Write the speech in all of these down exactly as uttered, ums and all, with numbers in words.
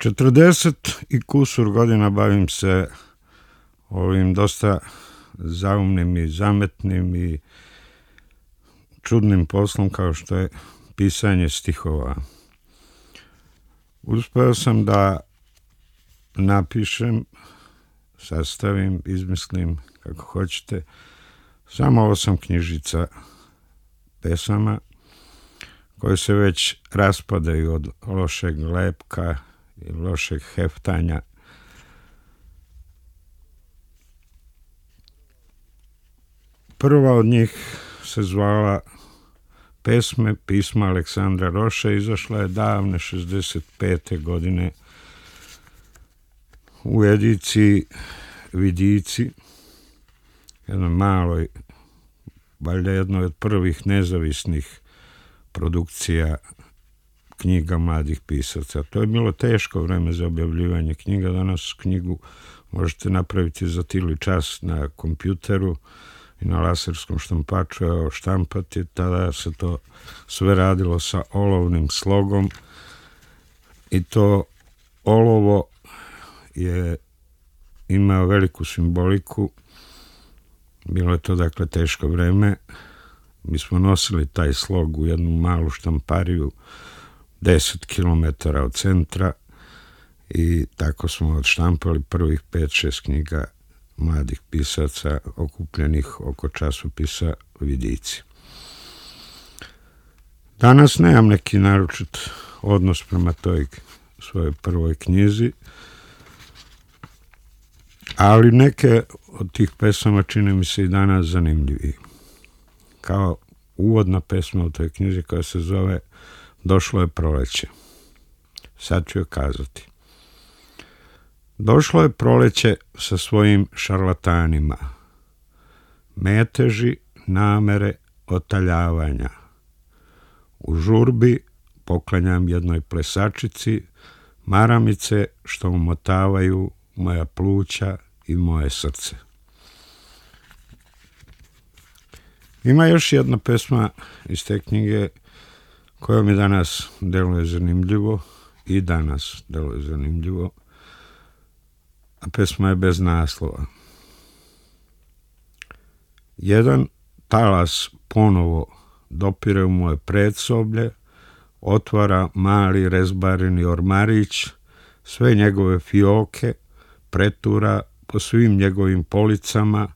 četrdeset i kusur godina bavim se ovim dosta zaumnim i zametnim i čudnim poslom kao što je pisanje stihova. Uspeo sam da napišem, sastavim, izmislim, kako hoćete, samo osam knjižica pesama koje se već raspadaju od lošeg lepka i lošeg heftanja. Prva od njih se zvala Pesme pisma Aleksandra Roše, izašla je davne šezdeset pete godine u ediciji Vidici, jednoj maloj, valjda jednoj od prvih nezavisnih produkcija knjiga mladih pisaca. To je bilo teško vreme za objavljivanje knjiga. Danas knjigu možete napraviti za tili čas na kompjuteru i na laserskom štampaču, evo štampati. Tada se to sve radilo sa olovnim slogom i to olovo je imao veliku simboliku. Bilo je to dakle teško vreme. Mi smo nosili taj slog u jednu malu štampariju deset kilometara od centra i tako smo odštampali prvih pet šest knjiga mladih pisaca okupljenih oko časopisa Vidici. Danas nemam neki naročit odnos prema toj svojoj prvoj knjizi, ali neke od tih pesama čine mi se i danas zanimljiviji. Kao uvodna pesma u toj knjizi koja se zove Došlo je proleće. Sad ću joj kazati. Došlo je proleće sa svojim šarlatanima. Meteži, namere, otaljavanja. U žurbi poklanjam jednoj plesačici maramice što umotavaju moja pluća i moje srce. Ima još jedna pesma iz te knjige koja mi danas deluje zanimljivo i danas deluje zanimljivo, a pesma je bez naslova. Jedan talas ponovo dopire u moje predsoblje, otvara mali rezbareni ormarić, sve njegove fioke, pretura po svim njegovim policama,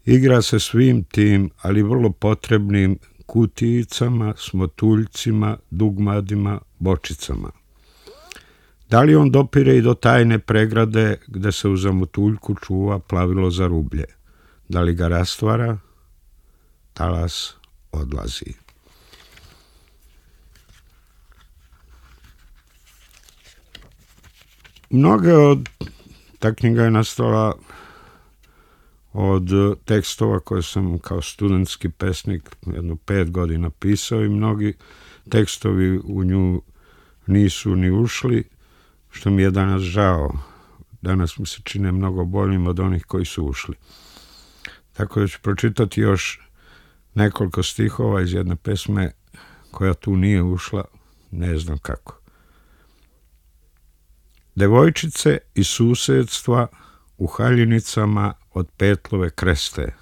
igra se svim tim, ali vrlo potrebnim kutijicama, smotuljcima, dugmadima, bočicama. Da li on dopire i do tajne pregrade gde se u zamotuljku čuva plavilo za rublje? Da li ga rastvara? Talas odlazi. Mnoge od, ta knjiga je nastala od tekstova koje sam kao studentski pesnik jedno pet godina pisao i mnogi tekstovi u nju nisu ni ušli, što mi je danas žao. Danas mi se čine mnogo boljim od onih koji su ušli. Tako da ću pročitati još nekoliko stihova iz jedne pesme koja tu nije ušla, ne znam kako. Devojčice iz susedstva u haljinicama od Petlove kreste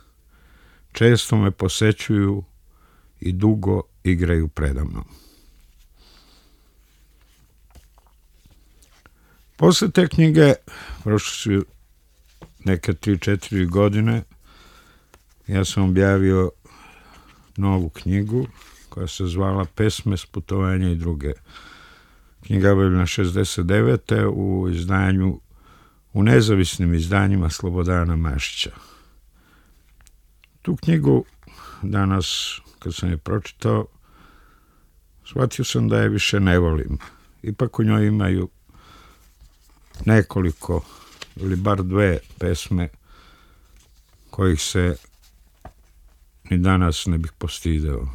često me posećuju i dugo igraju predamnom. Posle te knjige, prošle su neke tri četiri godine, ja sam objavio novu knjigu koja se zvala Pesme s putovanja i druge. Knjiga je objavljena šezdeset devete u izdanju, u nezavisnim izdanjima Slobodana Mašića. Tu knjigu danas, kad sam je pročitao, shvatio sam da je više ne volim. Ipak u njoj imaju nekoliko ili bar dve pesme kojih se ni danas ne bih postideo.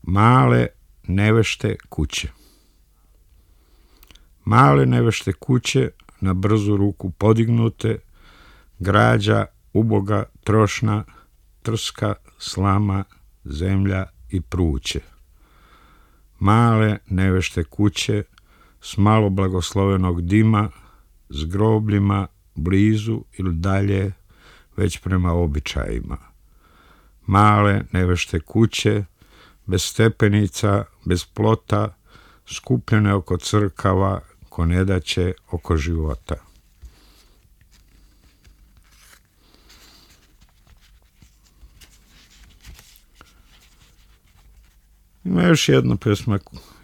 Male nevešte kuće. Male nevešte kuće, na brzu ruku podignute, građa, uboga, trošna, trska, slama, zemlja i pruće. Male nevešte kuće, s malo blagoslovenog dima, s grobljima blizu ili dalje, već prema običajima. Male nevešte kuće, bez stepenica, bez plota, skupljene oko crkava, ko nedaće oko života. Ima još jedna pesma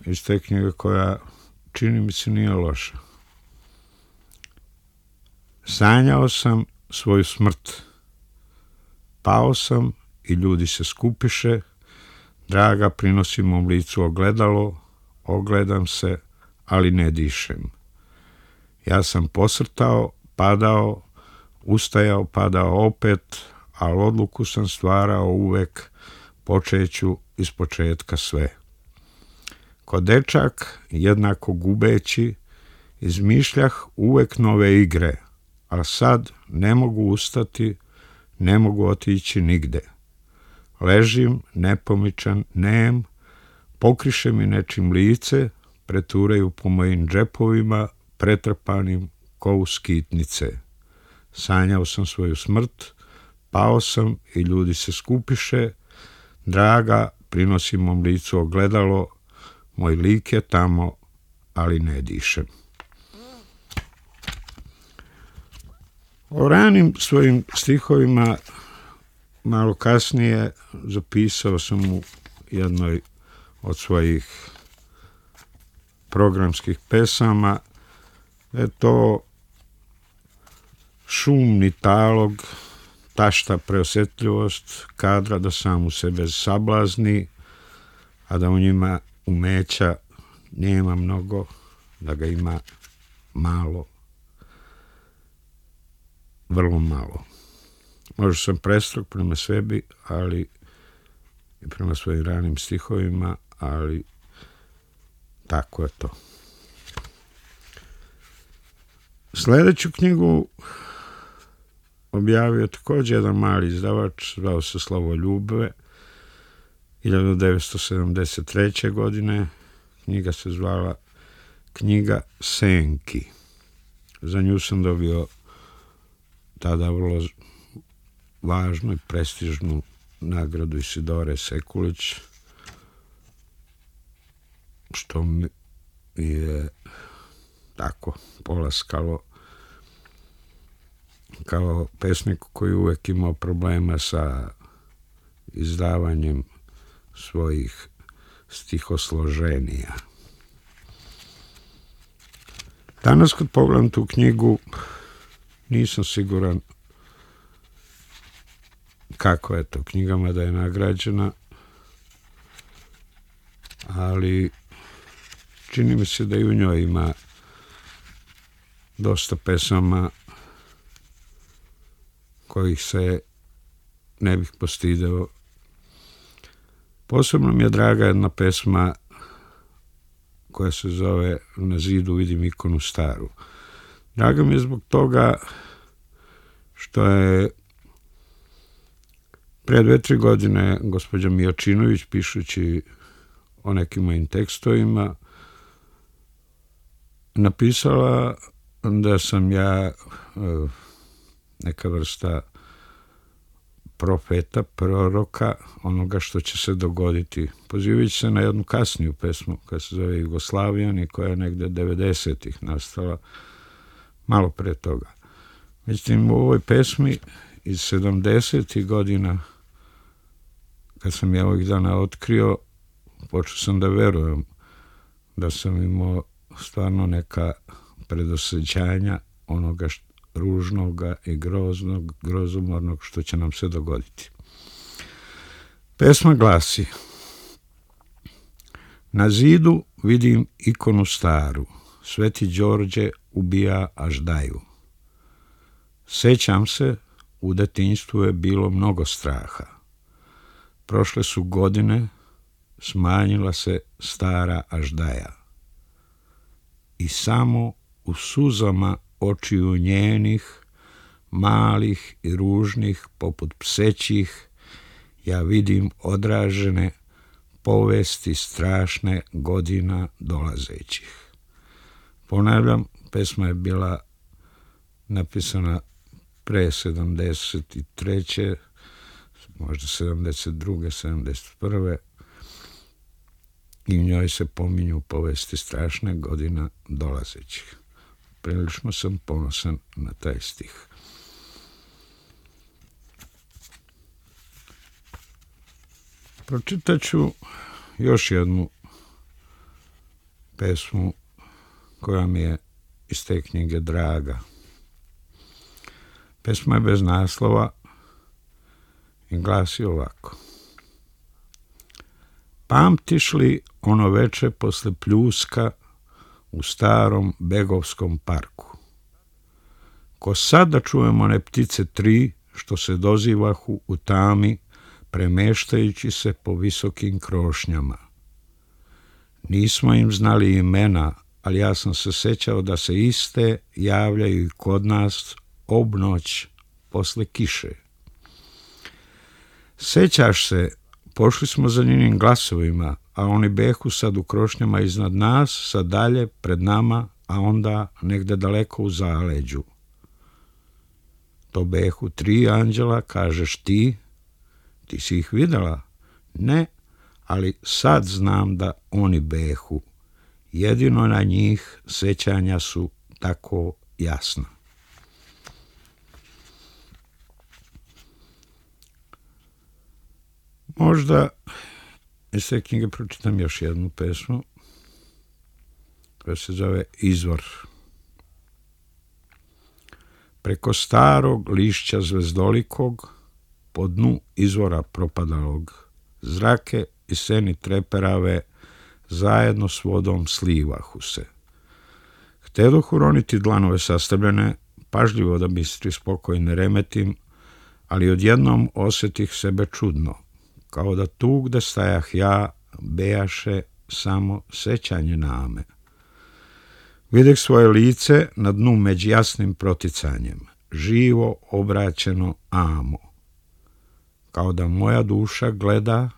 iz te knjige koja, čini mi se, nije loša. Sanjao sam svoju smrt. Pao sam i ljudi se skupiše. Draga, prinosim mom licu ogledalo. Ogledam se, ali ne dišem. Ja sam posrtao, padao, ustajao, padao opet, ali odluku sam stvarao uvek, počeću iz početka sve. Ko dečak, jednako gubeći, izmišljah uvek nove igre, a sad ne mogu ustati, ne mogu otići nigde. Ležim, nepomičan, nem, pokriše mi nečim lice, preturaju po mojim džepovima, pretrpanim ko u skitnice. Sanjao sam svoju smrt, pao sam i ljudi se skupiše. Draga, prinosim mom licu ogledalo, moj lik je tamo, ali ne dišem. O ranim svojim stihovima malo kasnije zapisao sam u jednoj od svojih programskih pesama. Je to šumni talog, tašta preosjetljivost kadra da sam u sebe sablazni, a da u njima umeća nema mnogo, da ga ima malo, vrlo malo. Možda sam prestrog prema sebi, ali i prema svojim ranim stihovima, ali tako je to. Sljedeću knjigu objavio također jedan mali izdavač, zvao se Slavoljube, hiljadu devetsto sedamdeset treće. godine. Knjiga se zvala Knjiga senki. Za nju sam dobio tada vrlo važnu i prestižnu nagradu Isidore Sekulić, što mi je tako polaskalo kao pesnik koji uvek imao problema sa izdavanjem svojih stihosloženija. Danas kad pogledam tu knjigu nisam siguran kako je to knjigama da je nagrađena, ali čini mi se da i u njoj ima dosta pesama kojih se ne bih postideo. Posebno mi je draga jedna pesma koja se zove Na zidu vidim ikonu staru. Draga mi je zbog toga što je pre dve, tri godine gospođa Mijočinović, pišući o nekim mojim tekstovima, napisala da sam ja neka vrsta profeta, proroka, onoga što će se dogoditi. Pozivajući se na jednu kasniju pesmu koja se zove Jugoslavijan i koja je negde devedesetih nastala, malo pre toga. Međutim, u ovoj pesmi iz sedamdesetih godina, kad sam ja ovih dana otkrio, počeo sam da verujem da sam imao stvarno neka predosjećanja onoga što, ružnoga i groznog, grozomornog što će nam se dogoditi. Pesma glasi: Na zidu vidim ikonu staru, Sveti Đorđe ubija Aždaju. Sećam se, u detinjstvu je bilo mnogo straha. Prošle su godine, smanjila se stara Aždaja. I samo u suzama očiju njenih, malih i ružnih, poput psećih, ja vidim odražene povesti strašne godina dolazećih. Ponavljam, pesma je bila napisana pre sedamdeset treće, možda sedamdeset druge, sedamdeset prve i u njoj se pominju povesti strašne godina dolazećih. Prilično sam ponosan na taj stih. Pročitat ću još jednu pesmu koja mi je iz te knjige draga. Pesma je bez naslova i glasi ovako. Pamtiš li ono veče posle pljuska u starom Begovskom parku? Ko sad da čujemo one ptice tri što se dozivahu u tami premeštajući se po visokim krošnjama. Nismo im znali imena, ali ja sam se sećao da se iste javljaju i kod nas obnoć posle kiše. Sećaš se, pošli smo za njenim glasovima, a oni behu sad u krošnjama iznad nas, sad dalje, pred nama, a onda negde daleko u zaleđu. To behu tri anđela, kažeš ti, ti si ih videla? Ne, ali sad znam da oni behu. Jedino na njih sećanja su tako jasna. Možda iz te knjige pročitam još jednu pesmu koja se zove Izvor. Preko starog lišća zvezdolikog, po dnu izvora propadalog, zrake i seni treperave zajedno s vodom slivahu se. Htedoh uroniti dlanove sastavljene, pažljivo da bistri spokoj ne remetim, ali odjednom osetih sebe čudno, kao da tu gde stajah ja bejaše samo sećanje name. Videh svoje lice na dnu među jasnim proticanjem, živo obraćeno amo, kao da moja duša gleda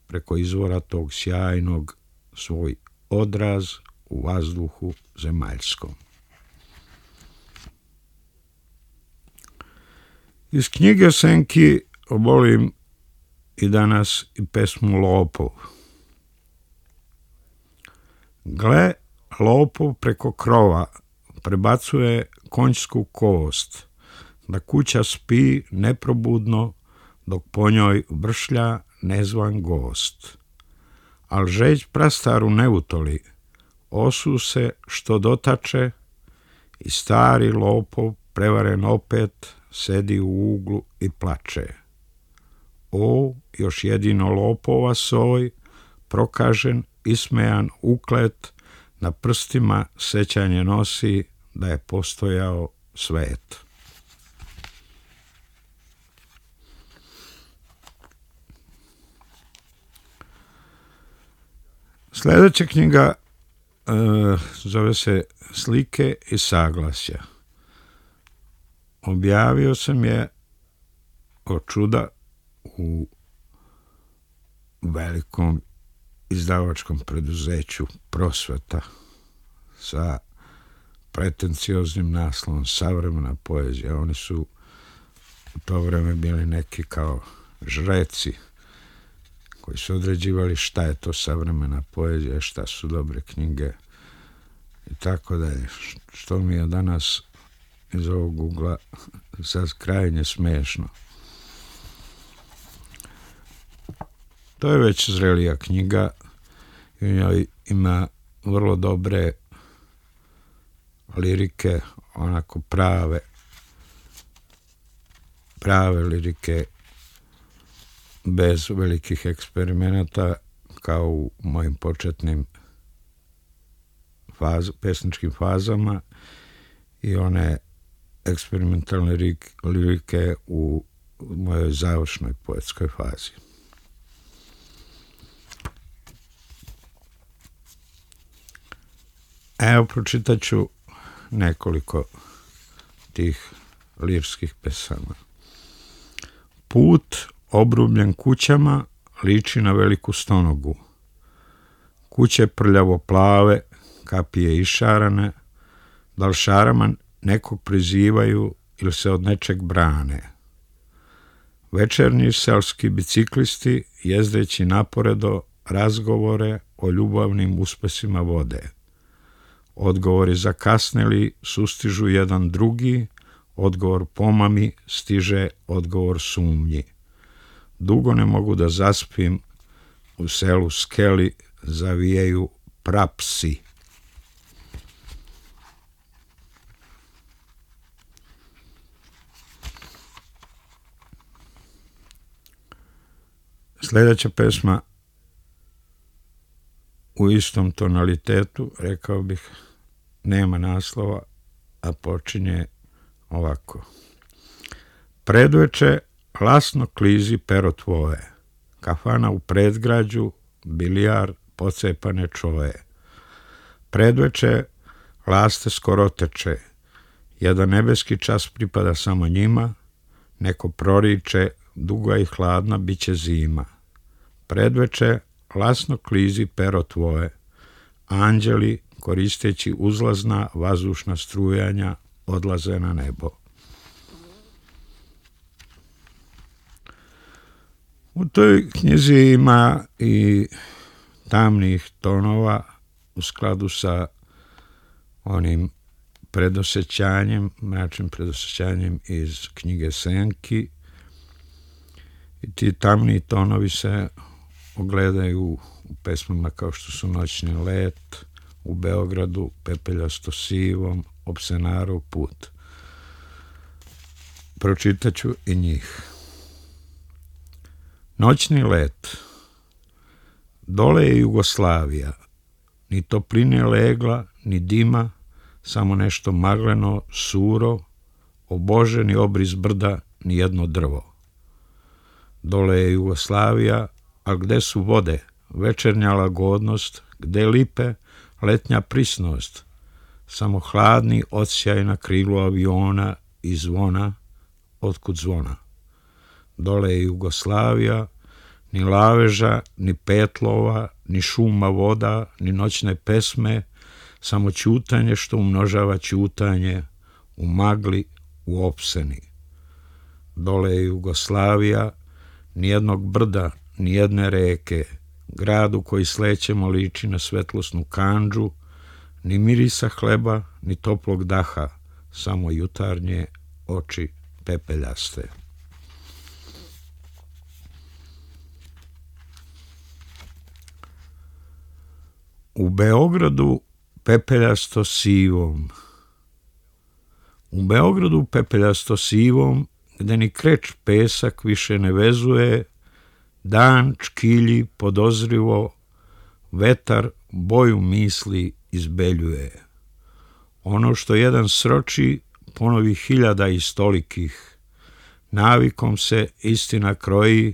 preko izvora tog sjajnog svoj odraz u vazduhu zemaljskom. Iz knjige Senki obolim i danas i pesmu Lopov. Gle, lopov preko krova prebacuje konjsku kost, da kuća spi neprobudno dok po njoj vršlja nezvan gost. Al žeć prastaru ne utoli, osu se što dotače i stari lopov prevaren opet sedi u uglu i plače. O, još jedino lopova soj, prokažen, ismejan, uklet, na prstima sećanje nosi da je postojao svet. Sljedeća knjiga e, zove se Slike i saglasja. Objavio sam je od čuda u velikom izdavačkom preduzeću Prosveta sa pretencioznim naslovom Savremena poezija. Oni su u to vreme bili neki kao žreci koji su određivali šta je to savremena poezija, šta su dobre knjige i tako da je, što mi je danas iz ovog ugla sad krajnje smešno. To je već zrelija knjiga i u njoj ima vrlo dobre lirike, onako prave, prave lirike bez velikih eksperimenata kao u mojim početnim faz, pesničkim fazama i one eksperimentalne lirike u mojoj završnoj poetskoj fazi. Evo, pročitat ću nekoliko tih lirskih pesama. Put obrubljen kućama liči na veliku stonogu. Kuće prljavo plave, kapije išarane, Da li šarama nekog prizivaju ili se od nečeg brane. Večernji selski biciklisti jezdeći naporedo razgovore o ljubavnim uspesima vode. Odgovori zakasneli sustižu jedan drugi, odgovor pomami stiže odgovor sumnji. Dugo ne mogu da zaspim, u selu Skeli zavijaju prapsi. Sljedeća pesma u istom tonalitetu, rekao bih, nema naslova, a počinje ovako. Predveče lasno klizi pero tvoje, kafana u predgrađu, bilijar, pocepane čoje. Predveče laste skoro teče, jedan nebeski čas pripada samo njima, neko proriče, duga i hladna biće zima. Predveče lasno klizi pero tvoje, anđeli koristeći uzlazna vazdušna strujanja odlaze na nebo. U toj knjizi ima i tamnih tonova u skladu sa onim predosjećanjem, mračnim predosjećanjem iz knjige Senki. I ti tamni tonovi se ogledaju u pesmama kao što su Noćni let, U Beogradu, Pepeljasto sivom, Opsenarov put. Pročitaću i njih. Noćni let. Dole je Jugoslavija. Ni topline legla, ni dima, samo nešto magleno, suro, oboženi obris brda, ni jedno drvo. Dole je Jugoslavija, a gde su vode, večernja lagodnost, gde lipe, letnja prisnost, samo hladni odsjaj na krilu aviona i zvona, otkud zvona. Dole je Jugoslavija, ni laveža, ni petlova, ni šuma voda, ni noćne pesme, samo ćutanje što umnožava ćutanje, u magli, u opseni. Dole je Jugoslavija, nijednog brda, nijedne reke, gradu koji slećemo liči na svetlosnu kandžu, ni mirisa hleba, ni toplog daha, samo jutarnje oči pepeljaste. U Beogradu pepeljasto sivom. U Beogradu pepeljasto sivom, gde ni kreč pesak više ne vezuje, dan čkilji podozrivo, vetar boju misli izbeljuje. Ono što jedan sroči, ponovi hiljada istolikih. Navikom se istina kroji,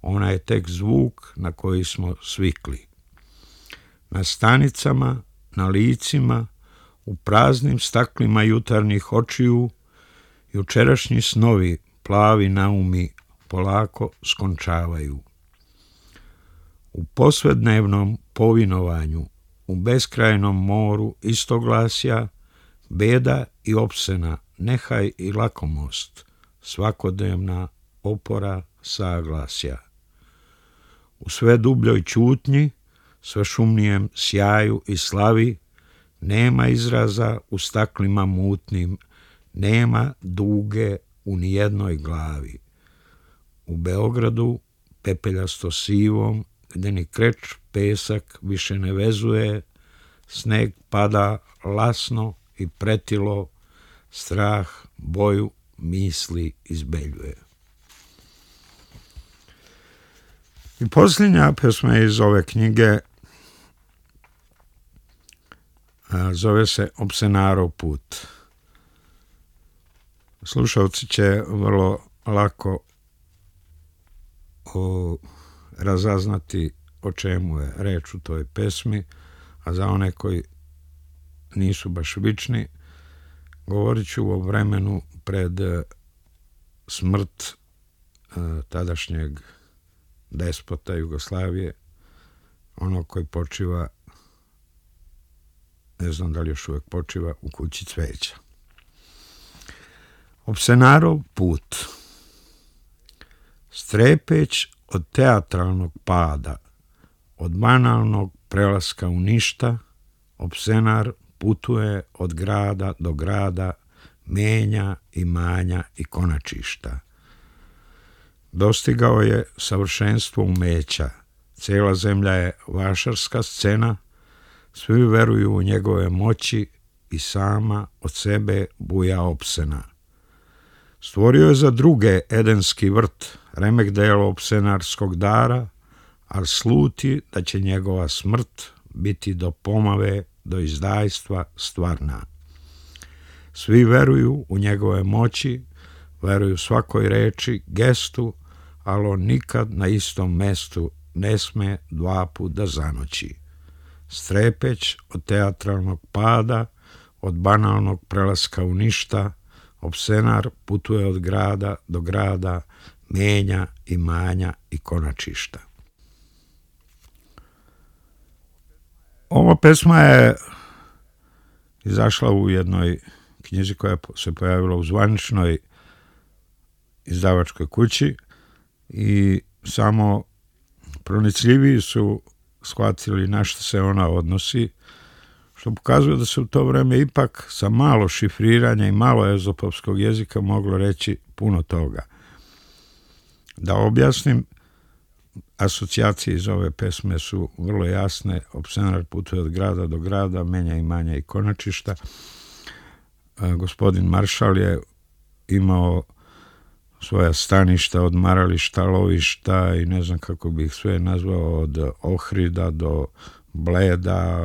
ona je tek zvuk na koji smo svikli. Na stanicama, na licima, u praznim staklima jutarnjih očiju, jučerašnji snovi, plavi naumi, polako skončavaju. U posvednevnom povinovanju, u beskrajnom moru istoglasja, beda i opsena, nehaj i lakomost, svakodnevna opora saglasja. U sve dubljoj ćutnji, sve šumnijem sjaju i slavi, nema izraza u staklima mutnim, nema duge u nijednoj glavi. U Beogradu, pepeljasto sivom, gde ni kreč pesak više ne vezuje, sneg pada lasno i pretilo, strah boju misli izbeljuje. I posljednja pesma iz ove knjige zove se Opsenarov put. Slušalci će vrlo lako o, razaznati o čemu je reč u toj pesmi, a za one koji nisu baš vični, govorit ću o vremenu pred smrt tadašnjeg despota Jugoslavije, onog koji počiva ne znam da li još uvijek počiva, u kući cveća. Opsenarov put. Strepeć od teatralnog pada, od banalnog prelaska u ništa, Opsenar putuje od grada do grada, menja imanja i konačišta. Dostigao je savršenstvo umeća, cijela zemlja je vašarska scena, svi veruju u njegove moći i sama od sebe buja opsena. Stvorio je za druge edenski vrt, remek delo opsenarskog dara, ali sluti da će njegova smrt biti do pomave, do izdajstva stvarna. Svi veruju u njegove moći, veruju svakoj reči, gestu, ali on nikad na istom mestu ne sme dva put da zanoći. Strepeć od teatralnog pada, od banalnog prelaska u ništa, Opsenar putuje od grada do grada, menja imanja i konačišta. Ova pesma je izašla u jednoj knjizi koja se pojavila u zvaničnoj izdavačkoj kući i samo pronicljiviji su shvatili na što se ona odnosi, što pokazuje da se u to vreme ipak sa malo šifriranja i malo ezopovskog jezika moglo reći puno toga. Da objasnim, asocijacije iz ove pesme su vrlo jasne. Opsenar putuje od grada do grada, menja imanja i konačišta. Gospodin Maršal je imao svoja staništa, odmarališta, lovišta i ne znam kako bih sve nazvao, od Ohrida do Bleda,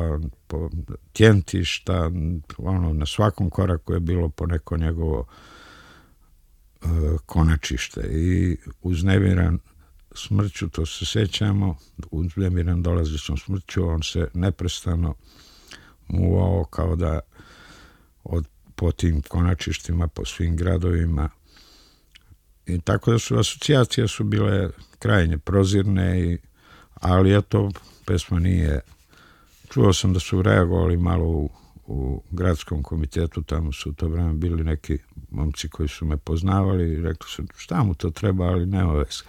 Tjentišta, ono, na svakom koraku je bilo po neko njegovo e, konačište. I uznemiran smrću, to se sećamo, uznemiran dolazećom smrću, on se neprestano muvao kao da od, po tim konačištima, po svim gradovima. I tako da su asocijacije su bile krajnje prozirne, i, ali eto, pesma nije. Čuo sam da su reagovali malo u, u gradskom komitetu, tamo su u to vreme bili neki momci koji su me poznavali i rekli su šta mu to treba, ali nema veze.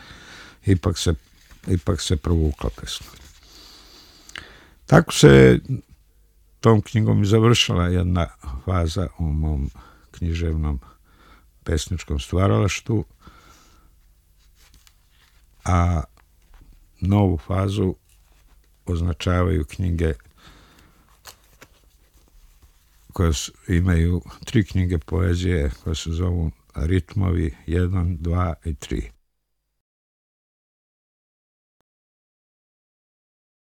Ipak se, ipak se provukla pesma. Tako se tom knjigom i završila jedna faza u mom književnom pesničkom stvaralaštvu, a novu fazu označavaju knjige koje imaju tri knjige poezije koje se zovu Ritmovi jedan, dva i tri.